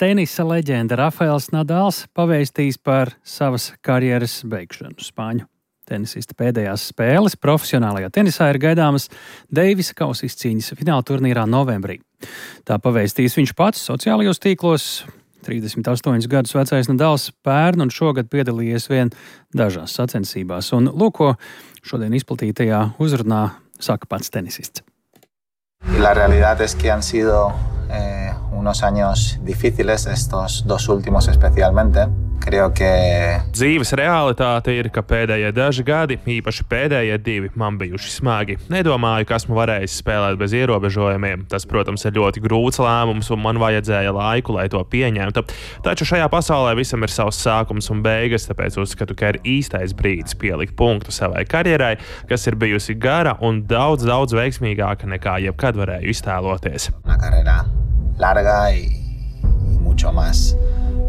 tenisa leģenda Rafaels Nadals pavēstīs par savas karjeras beigšanu. Spāņu tenisista pēdējās spēles profesionālajā tenisā ir gaidāmas Deivisa kausa izcīņas fināla turnīrā novembrī. Tā pavēstīs viņš pats sociālajos tīklos. 38 gadus vecais Nadals pērn un šogad piedalījies vien dažās sacensībās. Un lūk, ko šodien izplatītajā uzrunā saka pats tenisists. La realidad es que han sido unos años difíciles, estos dos últimos especialmente. Creo que dzīves realitāte ir, ka pēdējie daži gadi, īpaši pēdējie 2, man bijuši smagi. Nedomāju, ka esmu varējis spēlēt bez ierobežojumiem. Tas, protams, ir ļoti grūts lēmums, un man vajadzēja laiku, lai to pieņemtu. Taču šajā pasaulē visam ir savs sākums un beigas, tāpēc uzskatu, ka ir īstais brīdis pielikt punktu savai karjerai, kas ir bijusi gara un daudz veiksmīgāka nekā jebkad varēju iztēloties. Una carrera larga y mucho más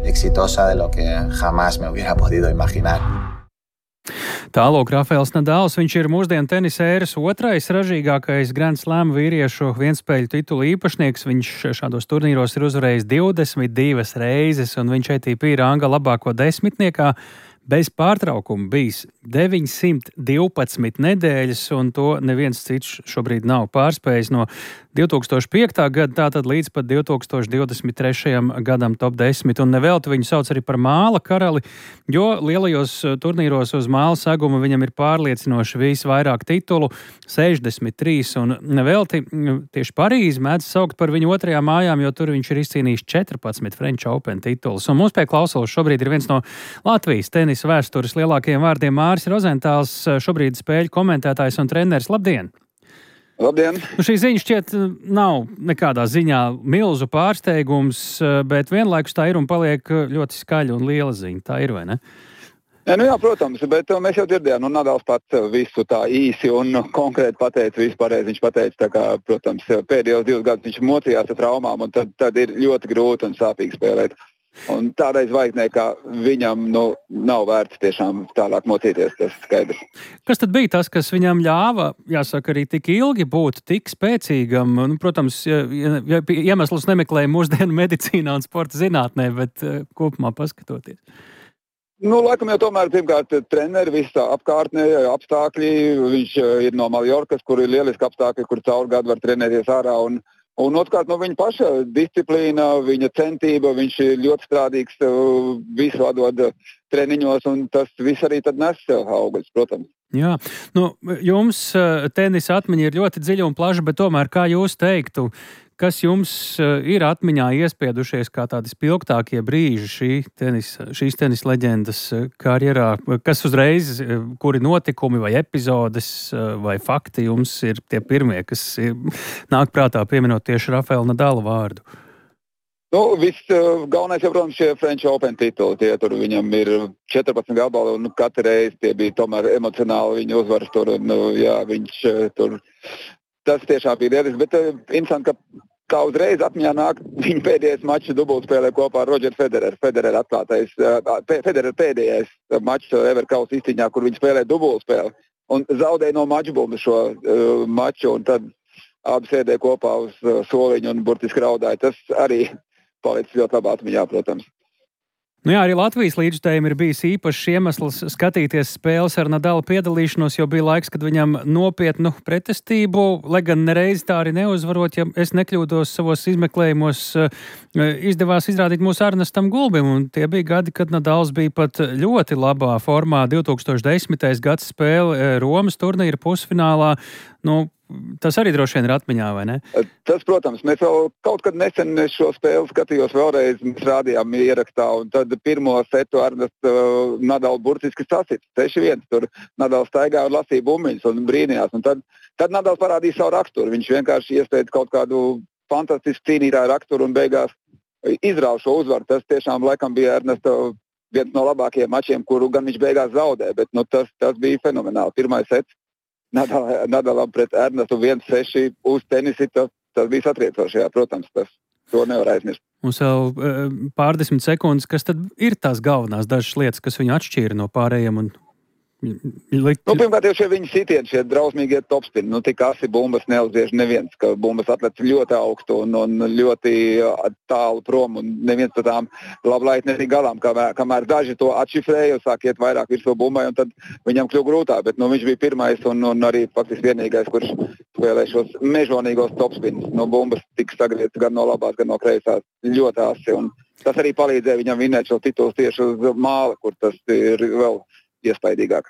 exitosa de lo que jamás me hubiera podido imaginar. Tālāk Rafaels Nadals, viņš ir mūsdienu tenisa ēras otrais ražīgākais Grand Slam vīriešu vienspēļu titulu īpašnieks. Viņš šādos turnīros ir uzvarējis 22 reizes, un viņš ATP ranga labāko desmitniekā bez pārtraukuma bijis 912 nedēļas, un to neviens cits šobrīd nav pārspējis no 2005. gada, tātad līdz pat 2023. gadam top 10, un nevelti viņu sauc arī par māla karali, jo lielajos turnīros uz māla seguma viņam ir pārliecinoši visvairāk titulu, 63, un nevelti tieši Parīzi mēdz saukt par viņu otrajām mājām, jo tur viņš ir izcīnījis 14 French Open titulus. Un mums pie klausulas šobrīd ir viens no Latvijas tenisa vēstures lielākajiem vārdiem Māris Rozentāls, šobrīd spēļu komentētājs un treneris. Labdien! Labdien! Šī ziņa šķiet nav nekādā ziņā milzu pārsteigums, bet vienlaikus tā ir un paliek ļoti skaļa un liela ziņa. Tā ir, vai ne? Jā, protams, bet mēs jau dzirdējām, Nadals pats visu tā īsi un konkrēti pateica, visu pareizi viņš pateica, tā kā, protams, pēdējos 2 gadus viņš mocījās ar traumām, un tad ir ļoti grūti un sāpīgi spēlēt. Un tādai zvaigznei, kā viņam nav vērts tiešām tālāk mocīties, tas skaidrs. Kas tad bija tas, kas viņam ļāva, jāsaka, arī tik ilgi būt tik spēcīgam? Protams, iemeslus nemeklēja mūsdienu medicīnā un sporta zinātnē, bet kopumā paskatoties. Laikam jau tomēr pirmkārt treneri, visa apkārtnē, apstākļi. Viņš ir no Maljorkas, kur ir lieliski apstākļi, kur caur gadu var trenēties ārā. Un otrkārt, viņa paša disciplīna, viņa centība, viņš ir ļoti strādīgs, visu atdod treniņos, un tas viss arī tad nes augļus, protams. Jā, jums tenisa atmiņa ir ļoti dziļa un plaša, bet tomēr, kā jūs teiktu, kas jums ir atmiņā iespiedušies kā tādi spilgtākie brīži šīs tenisa leģendas karjerā? Kas uzreiz, kuri notikumi vai epizodes vai fakti jums ir tie pirmie, kas nāk prātā pieminot tieši Rafaela Nadala vārdu? Viss galvenais, protams, šie French Open tituli. Tie tur viņam ir 14 gabali, un katru reizi tie bija tomēr emocionāli viņa uzvaras tur. Viņš tur. Tas tiešām bija lieliski, bet interesanti, kā uzreiz atmiņā nāk viņa pēdējais mačs dubultspēlē kopā ar Rodžeru Federeru. Federer pēdējais mačs Ever kausa izcīņā, kur viņi spēlē dubultspēli un zaudēja no mačbumbu šo maču, un tad abi sēdēja kopā uz soliņu un burtiski raudāja. Tas arī palicis ļoti labā atmiņā, protams. Arī Latvijas līdzstājiem ir bijis īpašs iemesls skatīties spēles ar Nadala piedalīšanos, jo bija laiks, kad viņam nopietnu pretestību, lai gan nereiz tā arī neuzvarot, ja es nekļūdos savos izmeklējumos, izdevās izrādīt mūsu Ernestam Gulbim, un tie bija gadi, kad Nadals bija pat ļoti labā formā. 2010. gads spēle Romas turnīra pusfinālā, tas arī droši vien ir atmiņā, vai ne? Tas, protams, mēs vēl kaut kad nesen šo spēli skatījos vēlreiz, mēs rādījām ierakstā, un tad pirmo setu Ernests Nadal burtiski sasita 6-1. Tur Nadal staigāja un lasīja bumbiņas un brīnījās, un tad Nadal parādīja savu raksturu. Viņš vienkārši iespēja kaut kādu fantastisku cīnītāju raksturu un beigās izrāva šo uzvaru. Tas tiešām laikam bija Ernesta viens no labākajiem mačiem, kuru gan viņš beigās zaudēja, bet tas bija fenomenāli. Pirmais sets Nadalam pret Ernestu 1-6 uz tenisi, tas bija satriecoši, protams, to nevar aizmirst. Mums vēl pārdesmit sekundes, kas tad ir tās galvenās dažas lietas, kas viņu atšķīra no pārējiem un Pirmkārt, jau šie viņa sitieni, šie drausmīgie topspini, tik asi bumbas neuziež neviens, ka bumbas atlec ļoti augstu un ļoti tālu prom, un neviens par tām lablait netika galām, kamēr daži to atšifrēja, sāk iet vairāk virs to bumbai, un tad viņam kļuva grūtāk, bet viņš bija pirmais un arī faktiski vienīgais, kurš spēlē šos mežonīgos topspinus. No bumbas tika sagriezts gan no labās, gan no kreisās, ļoti asi, un tas arī palīdzēja viņam vinēt šo titulu tieši uz māla, kur tas ir vēl iespaidīgāk.